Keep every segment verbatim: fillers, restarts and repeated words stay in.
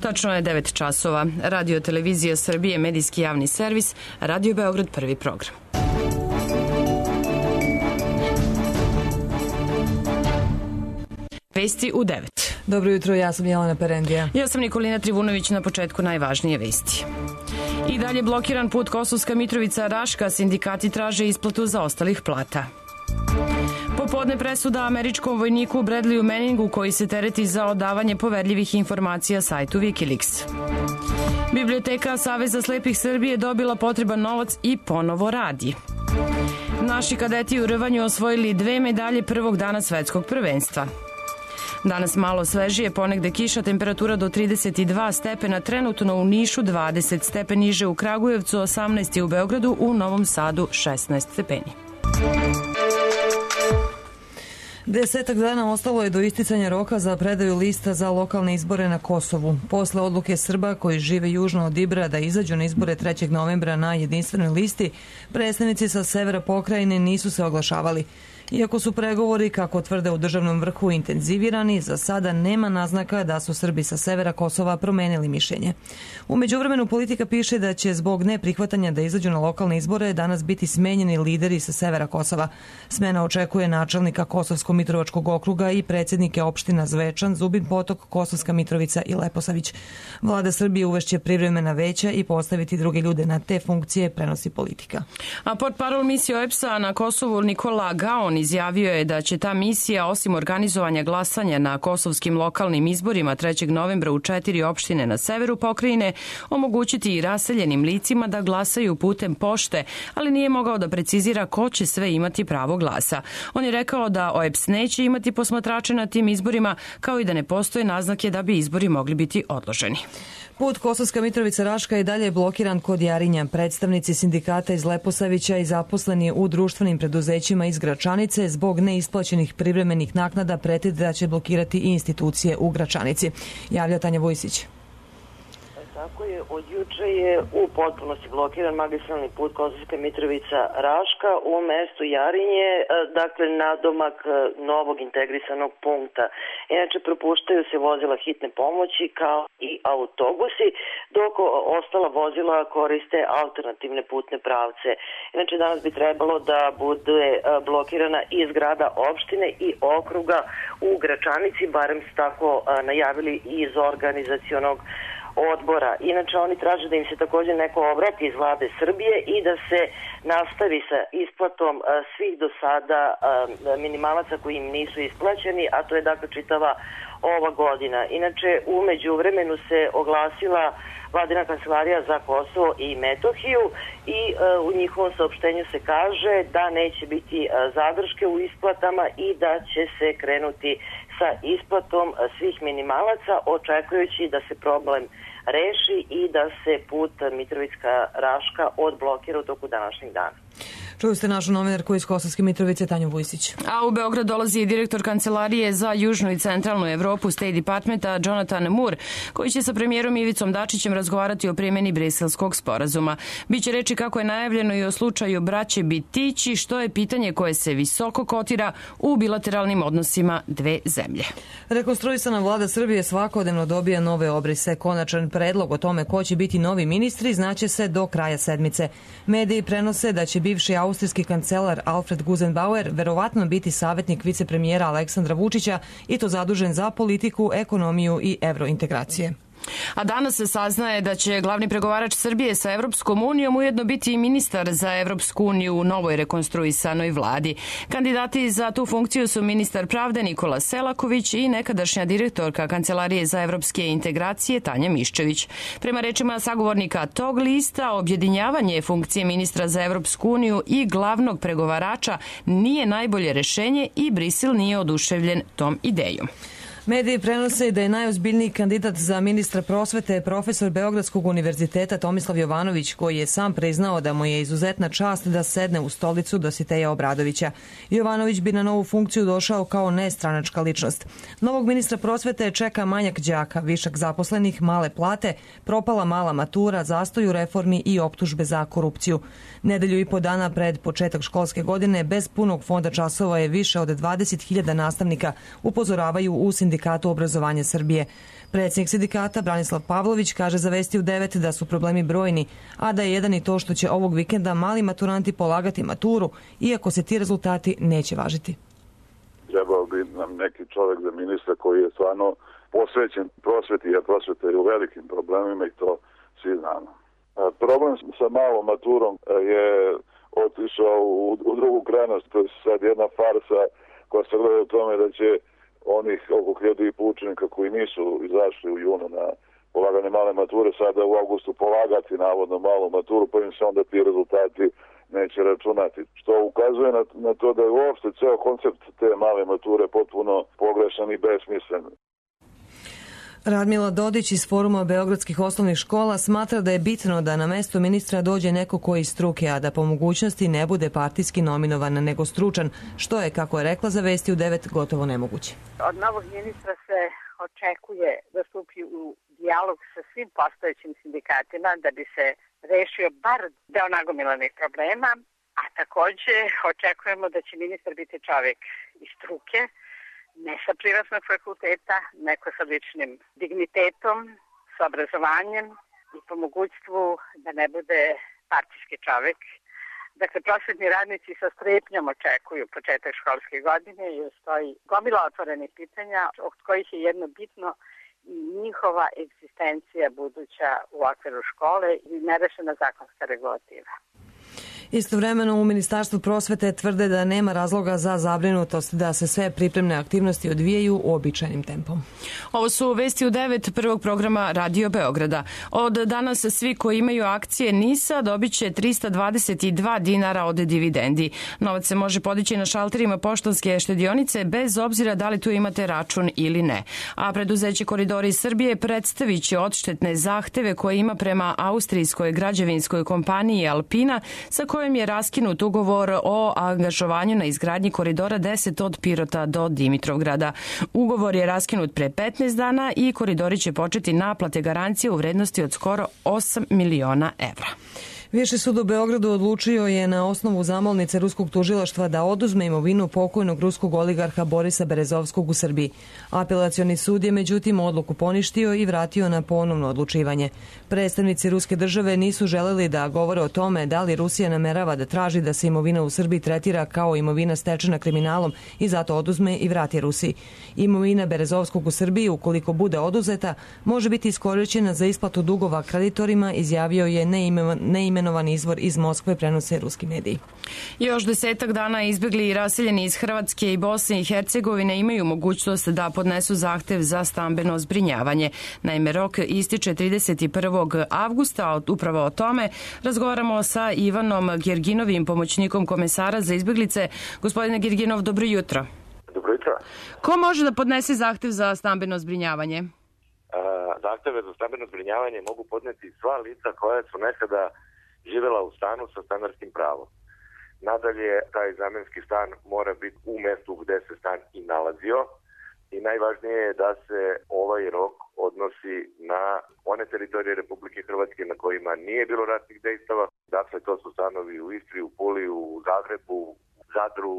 Tačno je devet časova. Radio Televizija Srbije, medijski javni servis, Radio Beograd, prvi program. Vesti u devet. Dobro jutro, ja sam Jelena Perendija. Ja sam Nikolina Trivunović, na početku najvažnije vesti. I dalje blokiran put Kosovska Mitrovica-Raška, sindikati traže isplatu zaostalih plata. Popodne presuda američkom vojniku Bradleyu Manningu koji se tereti za odavanje poverljivih informacija sajtu Wikileaks. Biblioteka Saveza slepih Srbije dobila potreban novac i ponovo radi. Naši kadeti u rvanju osvojili dve medalje prvog dana svetskog prvenstva. Danas malo svežije, ponegde kiša, temperatura do trideset dva stepena, trenutno u Nišu dvadeset stepeni, niže u Kragujevcu, osamnaest u Beogradu, u Novom Sadu šesnaest stepeni. Desetak dana ostalo je do isticanja roka za predaju lista za lokalne izbore na Kosovu. Posle odluke Srba koji žive južno od Ibra da izađu na izbore trećeg novembra na jedinstvenoj listi, predstavnici sa severa pokrajine nisu se oglašavali. Iako su pregovori, kako tvrde u državnom vrhu, intenzivirani, za sada nema naznaka da su Srbi sa severa Kosova promenili mišljenje. U međuvremenu politika piše da će zbog neprihvatanja da izađu na lokalne izbore danas biti smenjeni lideri sa severa Kosova. Smena očekuje načelnika Kosovsko-Mitrovačkog okruga i predsjednike opština Zvečan, Zubin Potok, Kosovska Mitrovica i Leposavić. Vlada Srbije uvešće privremena veća i postaviti druge ljude na te funkcije, prenosi politika. A portparol misije O E B S-a na Kosovu Nikola Gaon izjavio je da će ta misija, osim organizovanja glasanja na kosovskim lokalnim izborima trećeg novembra u četiri opštine na severu pokrajine, omogućiti i raseljenim licima da glasaju putem pošte, ali nije mogao da precizira ko će sve imati pravo glasa. On je rekao da O E B S neće imati posmatrače na tim izborima, kao i da ne postoje naznake da bi izbori mogli biti odloženi. Put Kosovska Mitrovica-Raška je dalje blokiran kod Jarinja. Predstavnici sindikata iz Leposavića i zaposleni u društvenim preduzećima iz Gračanice zbog neisplaćenih privremenih naknada prete da će blokirati i institucije u Gračanici. Javlja Tanja Vujsić. Tako je, od juče je u potpunosti blokiran magistralni put Kosovska Mitrovica-Raška u mestu Jarinje, dakle nadomak novog integrisanog punkta. Inače, propuštaju se vozila hitne pomoći kao i autobusi, dok ostala vozila koriste alternativne putne pravce. Inače, danas bi trebalo da bude blokirana i zgrada opštine i okruga u Gračanici, barem su tako najavili iz organizacionog odbora. Inače, oni traže da im se također neko obrati iz vlade Srbije i da se nastavi sa isplatom svih do sada minimalaca koji im nisu isplaćeni, a to je dakle čitava ova godina. Inače, u međuvremenu se oglasila Vladina kancelarija za Kosovo i Metohiju i u njihovom saopštenju se kaže da neće biti zadrške u isplatama i da će se krenuti sa isplatom svih minimalaca, očekujući da se problem reši i da se put Mitrovica-Raška odblokira u toku današnjeg dana. Čuli ste našu novinarku iz Kosovske Mitrovice, Tanju Vujsić. A u Beograd dolazi i direktor Kancelarije za južnu i centralnu Evropu State Departmenta Jonathan Moore, koji će sa premijerom Ivicom Dačićem razgovarati o primjeni Briselskog sporazuma. Biće reči, kako je najavljeno, i o slučaju braće Bitići, što je pitanje koje se visoko kotira u bilateralnim odnosima dve zemlje. Rekonstruisana vlada Srbije svakodnevno dobija nove obrise. Konačan predlog o tome ko će biti novi ministri znaće se do kraja sedmice. Mediji prenose da će bivši austrijski kancelar Alfred Gusenbauer verovatno biti savjetnik vicepremijera Aleksandra Vučića i to zadužen za politiku, ekonomiju i evrointegracije. A danas se saznaje da će glavni pregovarač Srbije sa Evropskom unijom ujedno biti i ministar za Evropsku uniju u novoj rekonstruisanoj vladi. Kandidati za tu funkciju su ministar pravde Nikola Selaković i nekadašnja direktorka Kancelarije za evropske integracije Tanja Miščević. Prema rečima sagovornika tog lista, objedinjavanje funkcije ministra za Evropsku uniju i glavnog pregovarača nije najbolje rešenje i Brisel nije oduševljen tom idejom. Mediji prenose da je najozbiljniji kandidat za ministra prosvete profesor Beogradskog univerziteta Tomislav Jovanović, koji je sam priznao da mu je izuzetna čast da sedne u stolicu Dositeja Obradovića. Jovanović bi na novu funkciju došao kao nestranačka ličnost. Novog ministra prosvete čeka manjak đaka, višak zaposlenih, male plate, propala mala matura, zastoj u reformi i optužbe za korupciju. Nedelju i po dana pred početak školske godine bez punog fonda časova je više od dvadeset hiljada nastavnika, upozoravaju u sindikatu sindikatu obrazovanja Srbije. Predsjednik sindikata Branislav Pavlović kaže za Vesti u devet da su problemi brojni, a da je jedan i to što će ovog vikenda mali maturanti polagati maturu, iako se ti rezultati neće važiti. Trebao bi nam neki čovjek za ministra koji je stvarno posvećen prosveti, jer prosveta je u velikim problemima i to svi znamo. Problem sa malom maturom je otišao u, u drugu krajnost, to je sad jedna farsa koja se gleda u tome da će onih oko hiljadu i po učenika koji nisu izašli u junu na polaganje male mature sada u avgustu polagati navodno malu maturu, pa im se onda ti rezultati neće računati. Što ukazuje na, na to da je uopšte ceo koncept te male mature potpuno pogrešan i besmislen. Radmila Dodić iz Foruma beogradskih osnovnih škola smatra da je bitno da na mesto ministra dođe neko koji iz struke, a da po mogućnosti ne bude partijski nominovan nego stručan, što je, kako je rekla za Vesti u devet, gotovo nemoguće. Od novog ministra se očekuje da stupi u dijalog sa svim postojećim sindikatima da bi se rešio bar deo nagomilanih problema, a takođe očekujemo da će ministar biti čovjek iz struke, ne sa privatnog fakulteta, neko sa ličnim dignitetom, sa obrazovanjem i po mogućstvu da ne bude partijski čovjek. Dakle, prosvetni radnici sa strepnjom očekuju početak školske godine i stoji gomila otvorenih pitanja, od kojih je jedno bitno i njihova egzistencija buduća u okviru škole i nerešena zakonska regulativa. Istovremeno u Ministarstvu prosvete tvrde da nema razloga za zabrinutost, da se sve pripremne aktivnosti odvijaju uobičajenim tempom. Ovo su Vesti u devet prvog programa Radio Beograda. Od danas svi koji imaju akcije NIS-a dobit će trista dvadeset dva dinara od dividendi. Novac se može podići na šalterima poštanske štedionice bez obzira da li tu imate račun ili ne. A preduzeće Koridori Srbije predstavit će odštetne zahteve koje ima prema austrijskoj građevinskoj kompaniji Alpina, sa kojim je raskinut ugovor o angažovanju na izgradnji Koridora deset od Pirota do Dimitrovgrada. Ugovor je raskinut pre petnaest dana i koridori će početi naplate garancije u vrednosti od skoro osam miliona evra. Viši sud u Beogradu odlučio je na osnovu zamolnice ruskog tužilaštva da oduzme imovinu pokojnog ruskog oligarha Borisa Berezovskog u Srbiji. Apelacioni sud je međutim odluku poništio i vratio na ponovno odlučivanje. Predstavnici ruske države nisu želeli da govore o tome da li Rusija namerava da traži da se imovina u Srbiji tretira kao imovina stečena kriminalom i zato oduzme i vrati Rusiji. Imovina Berezovskog u Srbiji, ukoliko bude oduzeta, može biti iskorišćena za isplatu dugova kreditorima, izjavio je neimenovan Imenovan izvor iz Moskve, prenose ruski mediji. Još desetak dana izbjegli i raseljeni iz Hrvatske i Bosne i Hercegovine imaju mogućnost da podnesu zahtev za stambeno zbrinjavanje. Naime, rok ističe trideset prvog avgusta. Upravo o tome razgovaramo sa Ivanom Gerginovim, pomoćnikom komesara za izbjeglice. Gospodine Gerginov, dobro jutro. Dobro jutro. Ko može da podnese zahtev za stambeno zbrinjavanje? Zahteve za stambeno zbrinjavanje mogu podneti sva lica koja su nekada živjela u stanu sa stanarskim pravom. Nadalje, taj zamenski stan mora biti u mestu gde se stan i nalazio i najvažnije je da se ovaj rok odnosi na one teritorije Republike Hrvatske na kojima nije bilo ratnih dejstava. Dakle, to su stanovi u Istri, u Puli, u Zagrebu, u Zadru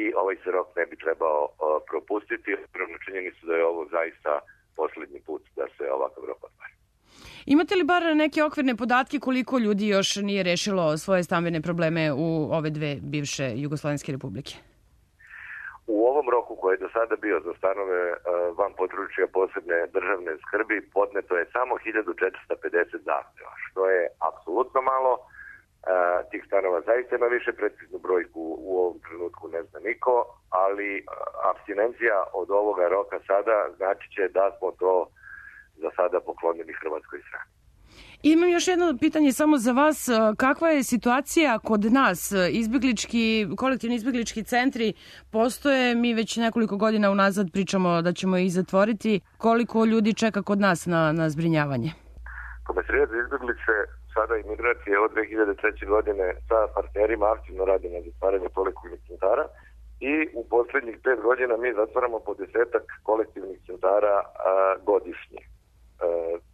i ovaj se rok ne bi trebao uh, propustiti. Prvo činjenicu da je ovo zaista posljednji put da se ovakav rok otvara. Imate li bar neke okvirne podatke koliko ljudi još nije rešilo svoje stambene probleme u ove dve bivše Jugoslovenske republike? U ovom roku koji je do sada bio za stanove uh, van područja posebne državne skrbi podneto je samo hiljadu četiristo pedeset zahteva, što je apsolutno malo. Uh, tih stanova zaista ima više, preciznu brojku u ovom trenutku ne zna niko, ali uh, apstinencija od ovoga roka sada znači će da smo to za sada poklonili Hrvatskoj strani. Imam još jedno pitanje samo za vas. Kakva je situacija kod nas? Izbjeglički, kolektivni izbjeglički centri postoje, mi već nekoliko godina unazad pričamo da ćemo ih zatvoriti. Koliko ljudi čeka kod nas na, na zbrinjavanje? Komesarijat za izbjeglice sada i migracije od dve hiljade treće. godine sa partnerima aktivno radi na zatvaranju kolektivnih centara i u posljednjih pet godina mi zatvaramo po desetak kolektivnih centara a, godišnje. E,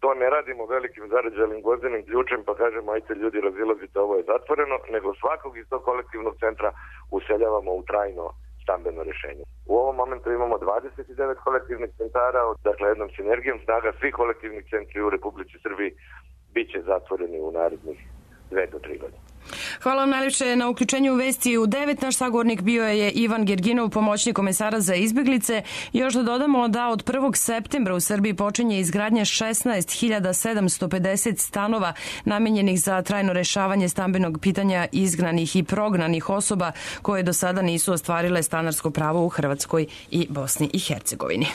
to ne radimo velikim zarađenim gvozdenim ključem pa kažemo ajte ljudi razilazite, ovo je zatvoreno, nego svakog iz tog kolektivnog centra useljavamo u trajno stambeno rješenje. U ovom momentu imamo dvadeset devet kolektivnih centara, dakle jednom sinergijom snaga svih kolektivnih centri u Republici Srbiji bit će zatvoreni u narednih dve do tri godine. Hvala vam najljepše na uključenju u Vesti u devet. Naš sagovornik bio je Ivan Gerginov, pomoćnik komesara za izbeglice. Još da dodamo da od prvog septembra u Srbiji počinje izgradnja šesnaest hiljada sedamsto pedeset stanova namenjenih za trajno rešavanje stambenog pitanja izgnanih i prognanih osoba koje do sada nisu ostvarile stanarsko pravo u Hrvatskoj i Bosni i Hercegovini.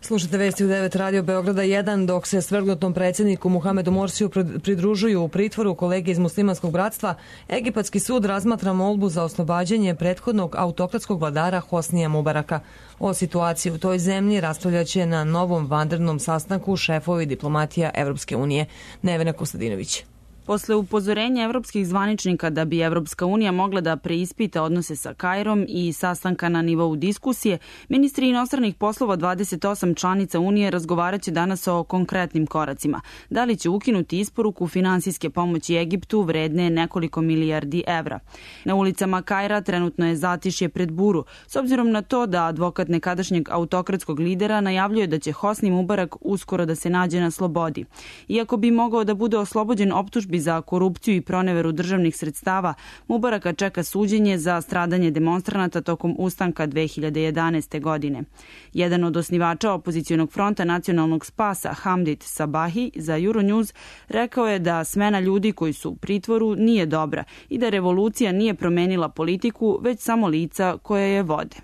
Slušajte Vesti u devet Radio Beograda jedan, dok se svrgnutom predsjedniku Muhamedu Morsiju pridružuju u pritvoru kolege iz Muslimanskog bratstva, Egipatski sud razmatra molbu za oslobađanje prethodnog autokratskog vladara Hosnija Mubaraka. O situaciji u toj zemlji raspravljaće na novom vanrednom sastanku šefovi diplomatija Evropske unije. Nevena Kostadinović. Posle upozorenja evropskih zvaničnika da bi Evropska unija mogla da preispita odnose sa Kairom i sastanka na nivou diskusije, ministri inostranih poslova dvadeset osam članica Unije razgovaraće danas o konkretnim koracima. Da li će ukinuti isporuku finansijske pomoći Egiptu vredne nekoliko milijardi evra. Na ulicama Kaira trenutno je zatišje pred buru, s obzirom na to da advokat nekadašnjeg autokratskog lidera najavljuje da će Hosni Mubarak uskoro da se nađe na slobodi. Iako bi mogao da bude oslobođen optužbi za korupciju i proneveru državnih sredstava, Mubaraka čeka suđenje za stradanje demonstranata tokom ustanka dve hiljade jedanaeste. godine. Jedan od osnivača opozicionog fronta nacionalnog spasa, Hamdit Sabahi, za Euronews rekao je da smena ljudi koji su u pritvoru nije dobra i da revolucija nije promenila politiku, već samo lica koje je vode.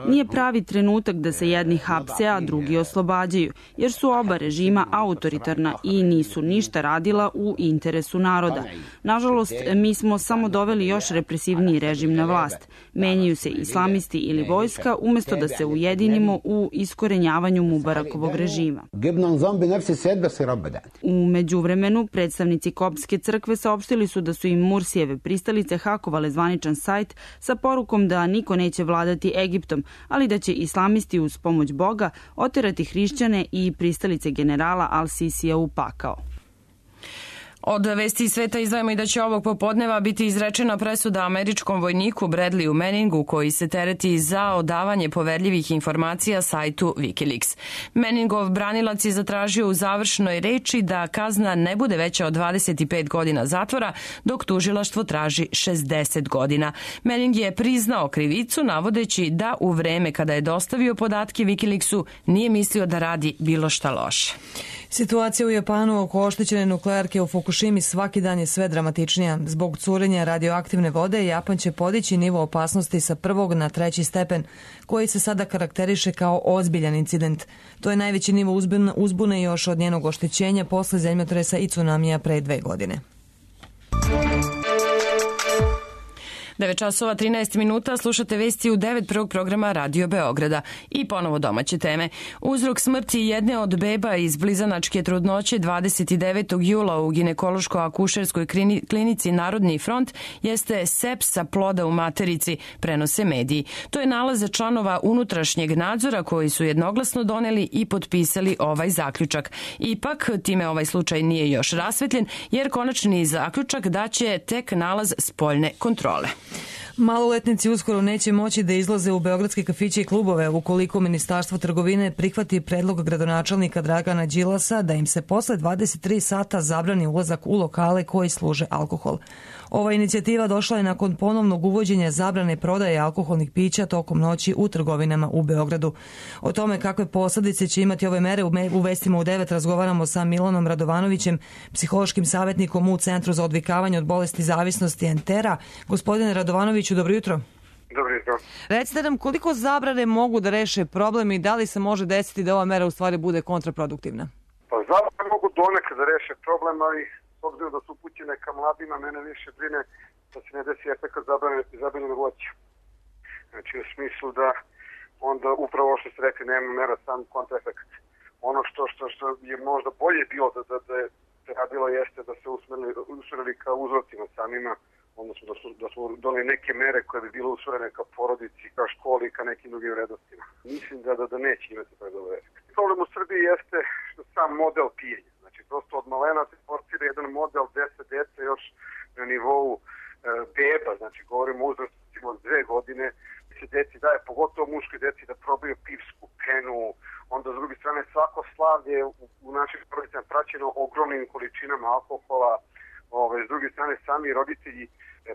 Nije pravi trenutak da se jedni hapse, a drugi oslobađaju, jer su oba režima autoritarna i nisu ništa radila u interesu naroda. Nažalost, mi smo samo doveli još represivniji režim na vlast. Menjaju se islamisti ili vojska umjesto da se ujedinimo u iskorenjavanju Mubarakovog režima. U međuvremenu, predstavnici Koptske crkve saopštili su da su im Mursijeve pristalice hakovale zvaničan sajt sa porukom da niko neće vladati Egiptom, ali da će islamisti uz pomoć Boga oterati hrišćane i pristalice generala Al-Sisija u pakao. Od Vesti iz sveta izdvajamo i da će ovog popodneva biti izrečena presuda američkom vojniku Bradleyu Manningu koji se tereti za odavanje poverljivih informacija sajtu Wikileaks. Manningov branilac je zatražio u završnoj reči da kazna ne bude veća od dvadeset pet godina zatvora, dok tužilaštvo traži šezdeset godina. Manning je priznao krivicu navodeći da u vreme kada je dostavio podatke Wikileaksu nije mislio da radi bilo šta loše. Situacija u Japanu oko oštećene nuklearke u Fukushimi svaki dan je sve dramatičnija. Zbog curenja radioaktivne vode, Japan će podići nivo opasnosti sa prvog na treći stepen, koji se sada karakteriše kao ozbiljan incident. To je najveći nivo uzbune još od njenog oštećenja posle zemljotresa i tsunamija pre dve godine. devet časova trinaest minuta, slušate Vesti u devet prvog programa Radio Beograda. I ponovo domaće teme. Uzrok smrti jedne od beba iz blizanačke trudnoće dvadeset devetog jula u ginekološko-akušerskoj klinici Narodni front jeste sepsa ploda u materici, prenose mediji. To je nalaz članova unutrašnjeg nadzora koji su jednoglasno doneli i potpisali ovaj zaključak. Ipak, time ovaj slučaj nije još rasvetljen, jer konačni zaključak daće tek nalaz spoljne kontrole. Maloletnici uskoro neće moći da izlaze u beogradske kafiće i klubove ukoliko Ministarstvo trgovine prihvati predlog gradonačelnika Dragana Đilasa da im se posle dvadeset tri sata zabrani ulazak u lokale koji služe alkohol. Ova inicijativa došla je nakon ponovnog uvođenja zabrane prodaje alkoholnih pića tokom noći u trgovinama u Beogradu. O tome kakve posledice će imati ove mere u Vestima u devet razgovaramo sa Milanom Radovanovićem, psihološkim savjetnikom u Centru za odvikavanje od bolesti zavisnosti Entera. Gospodine Radovanoviću, dobro jutro. Dobro jutro. Recite nam koliko zabrane mogu da reše problem i da li se može desiti da ova mera u stvari bude kontraproduktivna? Pa zabrane mogu donekad da reše problem, ali s obzirom da su upućene ka mladima, mene više brine da se ne desi efekat zabranjenog voća. Znači u smislu da onda upravo što ste rekli nema mera sam kontraefekt. Ono što, što, što je možda bolje bilo da, da, da je radilo jeste da se usmerili, usmerili ka uzrocima samima, odnosno da su, da su doneli neke mere koje bi bile usmerene ka porodici, ka školi i ka nekim drugim vrednostima. Mislim da, da, da neće imati taj dobar efekt. Problem u Srbiji jeste što sam model pijenja. Znači prosto od malena se forsira jedan model gde se deca još na nivou e, beba, znači govorimo o uzrastima od dve godine, svako slavlje u, u našim porodicama praćeno ogromnim količinama alkohola. Ove, s druge strane, sami roditelji, e,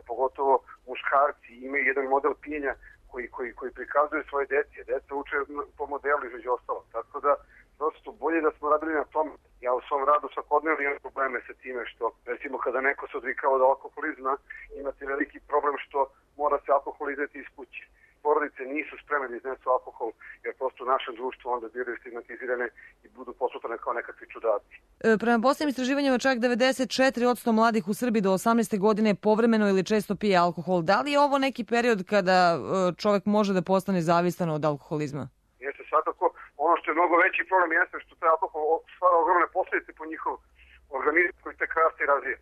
pogotovo muškarci, imaju jedan model pijenja koji, koji, koji prikazuje svoje djece. Deca uče po modelu između ostalo. Tako da, prosto, bolje da smo radili na tom. Ja u svom radu svakodnevno imam probleme sa time što, recimo, kada neko se odvikao od alkoholizma, imate veliki problem što mora se alkohol izneti iz kuće. Porodice nisu spremne da iznesu alkohol, jer prosto u našem društvu onda bivaju stigmatizirane i budu posmatrane kao nekakvi čudaci. E, prema posljednjim istraživanjima čak devedeset četiri posto mladih u Srbiji do osamnaeste godine povremeno ili često pije alkohol. Da li je ovo neki period kada čovjek može da postane zavistan od alkoholizma? Jeste, svakako. Ono što je mnogo veći problem jeste što taj alkohol stvara ogromne posljedice po njihov organizam koji tek raste i razvije.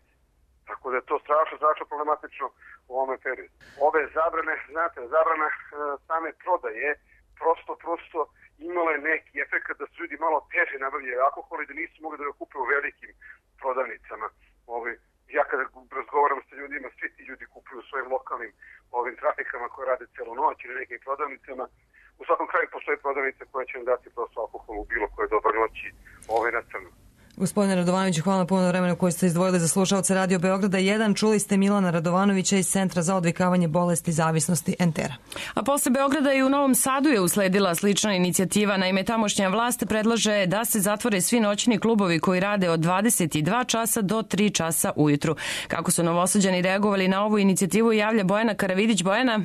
Tako da je to strašno, strašno problematično u ovome periodu. Ove zabrane, znate, zabrana e, same prodaje prosto, prosto imala je neki efekt da su ljudi malo teže nabavljaju alkohol i da nisu mogli da ga kupe u velikim prodavnicama. Ove, ja kada razgovaram sa ljudima, svi ti ljudi kupuju u svojim lokalnim ovim trafikama koje rade celu noć ili nekim prodavnicama. U svakom kraju postoje prodavnice koje će vam dati prosto alkohol u bilo koje dobar noći ove na crno. Gospodine Radovanoviću, hvala na puno vremena koje ste izdvojili za slušaoce Radio Beograda jedan. Čuli ste Milana Radovanovića iz Centra za odvikavanje bolesti zavisnosti Entera. A posle Beograda i u Novom Sadu je usledila slična inicijativa. Naime, tamošnja vlast predlaže da se zatvore svi noćni klubovi koji rade od dvadeset dva časa do tri časa ujutru. Kako su Novosađani reagovali na ovu inicijativu, javlja Bojana Karavidić. Bojana?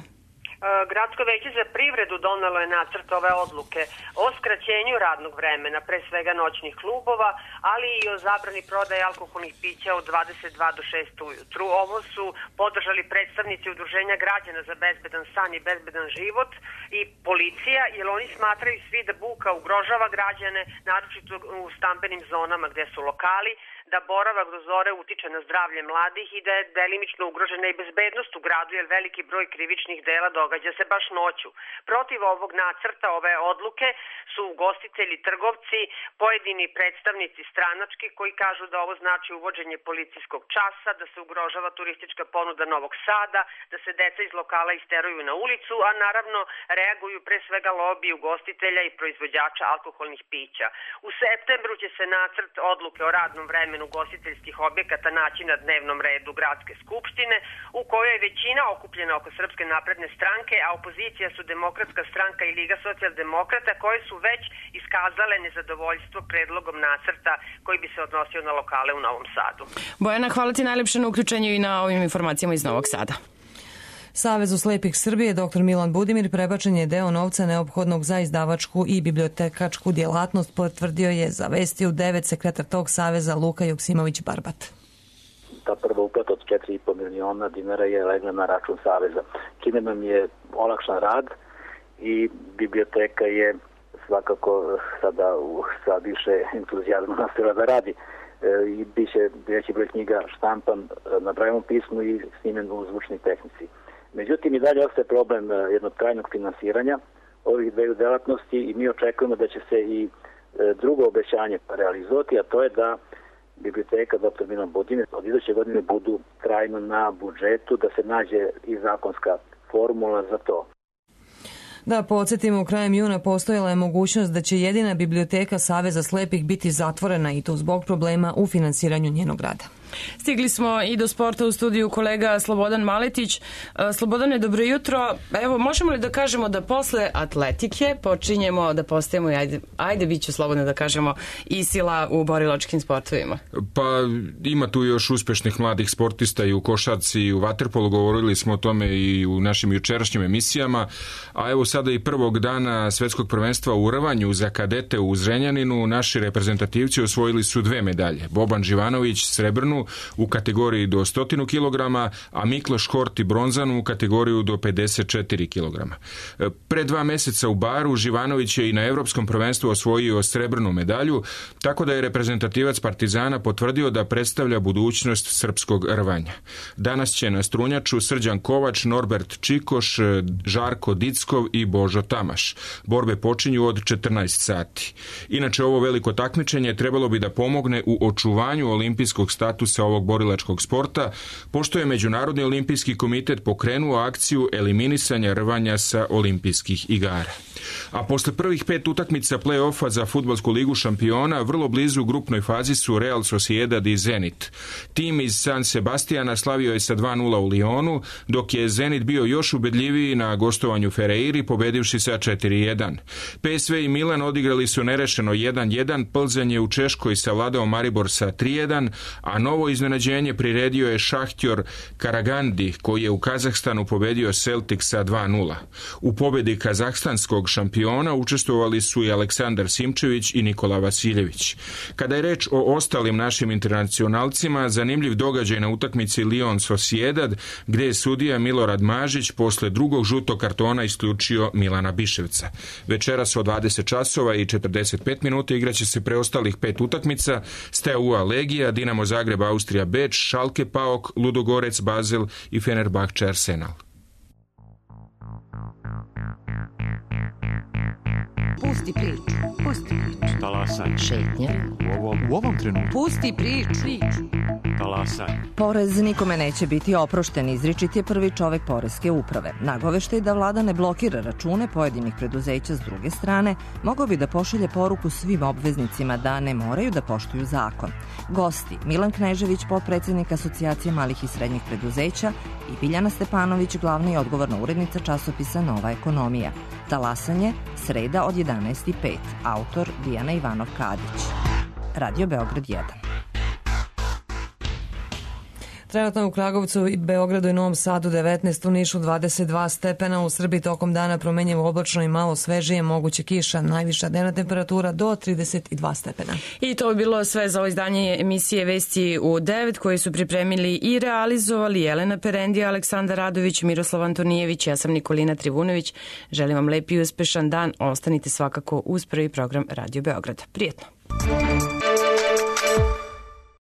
Gradsko veće za privredu donelo je nacrt ove odluke o skraćenju radnog vremena, pre svega noćnih klubova, ali i o zabrani prodaje alkoholnih pića od dvadeset dva do šest ujutru. Ovo su podržali predstavnici Udruženja građana za bezbedan san i bezbedan život i policija, jer oni smatraju svi da buka ugrožava građane, naročito u stambenim zonama gde su lokali, da boravak do zore utiče na zdravlje mladih i da je delimično ugrožena i bezbednost u gradu, jer veliki broj krivičnih dela događa se baš noću. Protiv ovog nacrta, ove odluke, su ugostitelji, trgovci, pojedini predstavnici stranački koji kažu da ovo znači uvođenje policijskog časa, da se ugrožava turistička ponuda Novog Sada, da se deca iz lokala isteruju na ulicu, a naravno reaguju pre svega lobi ugostitelja i proizvođača alkoholnih pića. U septembru će se nacrt odluke o radnom vremenu ugostiteljskih objekata naći na dnevnom redu Gradske skupštine, u kojoj je većina okupljena oko Srpske napredne stranke, a opozicija su Demokratska stranka i Liga socijaldemokrata, koje su već iskazale nezadovoljstvo predlogom nacrta koji bi se odnosio na lokale u Novom Sadu. Bojana, hvala ti najlepše na uključenju i na ovim informacijama iz Novog Sada. Savezu slepih Srbije dr Milan Budimir prebačen je deo novca neophodnog za izdavačku i bibliotekačku djelatnost, potvrdio je za Vesti u devet sekretar tog saveza Luka Joksimović-Barbat. Ta prva uplata od četiri i po miliona dinara je legla na račun saveza, čime nam je olakšan rad i biblioteka je svakako sada sa više entuzijazma nastavila da radi. I biće veći broj knjiga štampan na Brailleovom pismu i snimljen u zvučnoj tehnici. Međutim, i dalje ostaje problem jednog trajnog finansiranja ovih dveju delatnosti i mi očekujemo da će se i drugo obećanje realizovati, a to je da biblioteka dr Milan Budimir od iduće godine budu trajno na budžetu, da se nađe i zakonska formula za to. Da, podsjetimo, krajem juna postojala je mogućnost da će jedina biblioteka Saveza slepih biti zatvorena i to zbog problema u finansiranju njenog rada. Stigli smo i do sporta u studiju kolega Slobodan Maletić. Slobodane, dobro jutro. Evo, možemo li da kažemo da posle atletike počinjemo da postajemo, ajde, ajde bit ću slobodno da kažemo, i sila u borilačkim sportovima? Pa ima tu još uspešnih mladih sportista i u košarci i u vaterpolu, govorili smo o tome i u našim jučerašnjim emisijama, a evo sada i prvog dana svetskog prvenstva u rvanju za kadete u Zrenjaninu naši reprezentativci osvojili su dve medalje. Boban Živanović srebrnu u kategoriji do sto kilograma, a Mikloš Horti bronzanu u kategoriju do pedeset četiri kilograma. Pre dva meseca u Baru Živanović je i na evropskom prvenstvu osvojio srebrnu medalju, tako da je reprezentativac Partizana potvrdio da predstavlja budućnost srpskog rvanja. Danas će na strunjaču Srđan Kovač, Norbert Čikoš, Žarko Dickov i Božo Tamaš. Borbe počinju od četrnaest sati. Inače, ovo veliko takmičenje trebalo bi da pomogne u očuvanju olimpijskog statusa statusa ovog borilačkog sporta, pošto je Međunarodni olimpijski komitet pokrenuo akciju eliminisanja rvanja sa olimpijskih igara. A posle prvih pet utakmica play-offa za fudbalsku ligu šampiona, vrlo blizu u grupnoj fazi su Real Sociedad i Zenit. Tim iz San Sebastiana slavio je sa dva nula u Lionu, dok je Zenit bio još ubedljiviji na gostovanju Ferreiri, pobedivši sa četiri jedan. P S V i Milan odigrali su nerešeno jedan jedan, Plzeň je u Češkoj savladao Maribor sa tri jedan, a novo iznenađenje priredio je Šahtjor Karagandi, koji je u Kazahstanu pobedio Celtic sa dva nula. U pobedi kazahstanskog šampiona učestvovali su i Aleksandar Simčević i Nikola Vasiljević. Kada je reč o ostalim našim internacionalcima, zanimljiv događaj na utakmici Lyon Sociedad, gde je sudija Milorad Mažić posle drugog žutog kartona isključio Milana Biševca. Večeras od dvadeset časova i četrdeset pet minuta igraće se preostalih pet utakmica: Steaua Legija, Dinamo Zagreb Austrija Beč, Schalke Paok, Ludogorec Basel i Fenerbahče Arsenal. Pusti priču. Pusti priču. Talasaj. Šetnja. U ovom, u ovom trenutku. Pusti priču. priču. Talasaj. Porez nikome neće biti oprošten, izričit je prvi čovek poreske uprave. Nagoveštaj da vlada ne blokira račune pojedinih preduzeća s druge strane, mogao bi da pošalje poruku svim obveznicima da ne moraju da poštuju zakon. Gosti: Milan Knežević, potpredsednik Asocijacije malih i srednjih preduzeća, i Biljana Stepanović, glavna i odgovorna urednica časopisa Nova ekonomija. Talasanje, sreda od jedanaest i pet. Autor Dijana Ivanov Kadić. Radio Beograd jedan. Trenutno u Kragovcu, Beogradu i Novom Sadu devetnaest, u Nišu dvadeset dva stepena, u Srbiji tokom dana promenjivo oblačno i malo svežije, moguće kiša, najviša dnevna temperatura do trideset dva stepena. I to bi bilo sve za ovo izdanje emisije Vesti u devet, koje su pripremili i realizovali Jelena Perendija, Aleksandar Radović, Miroslav Antonijević, ja sam Nikolina Trivunović. Želim vam lep i uspešan dan, ostanite svakako uz prvi program Radio Beograda. Prijetno!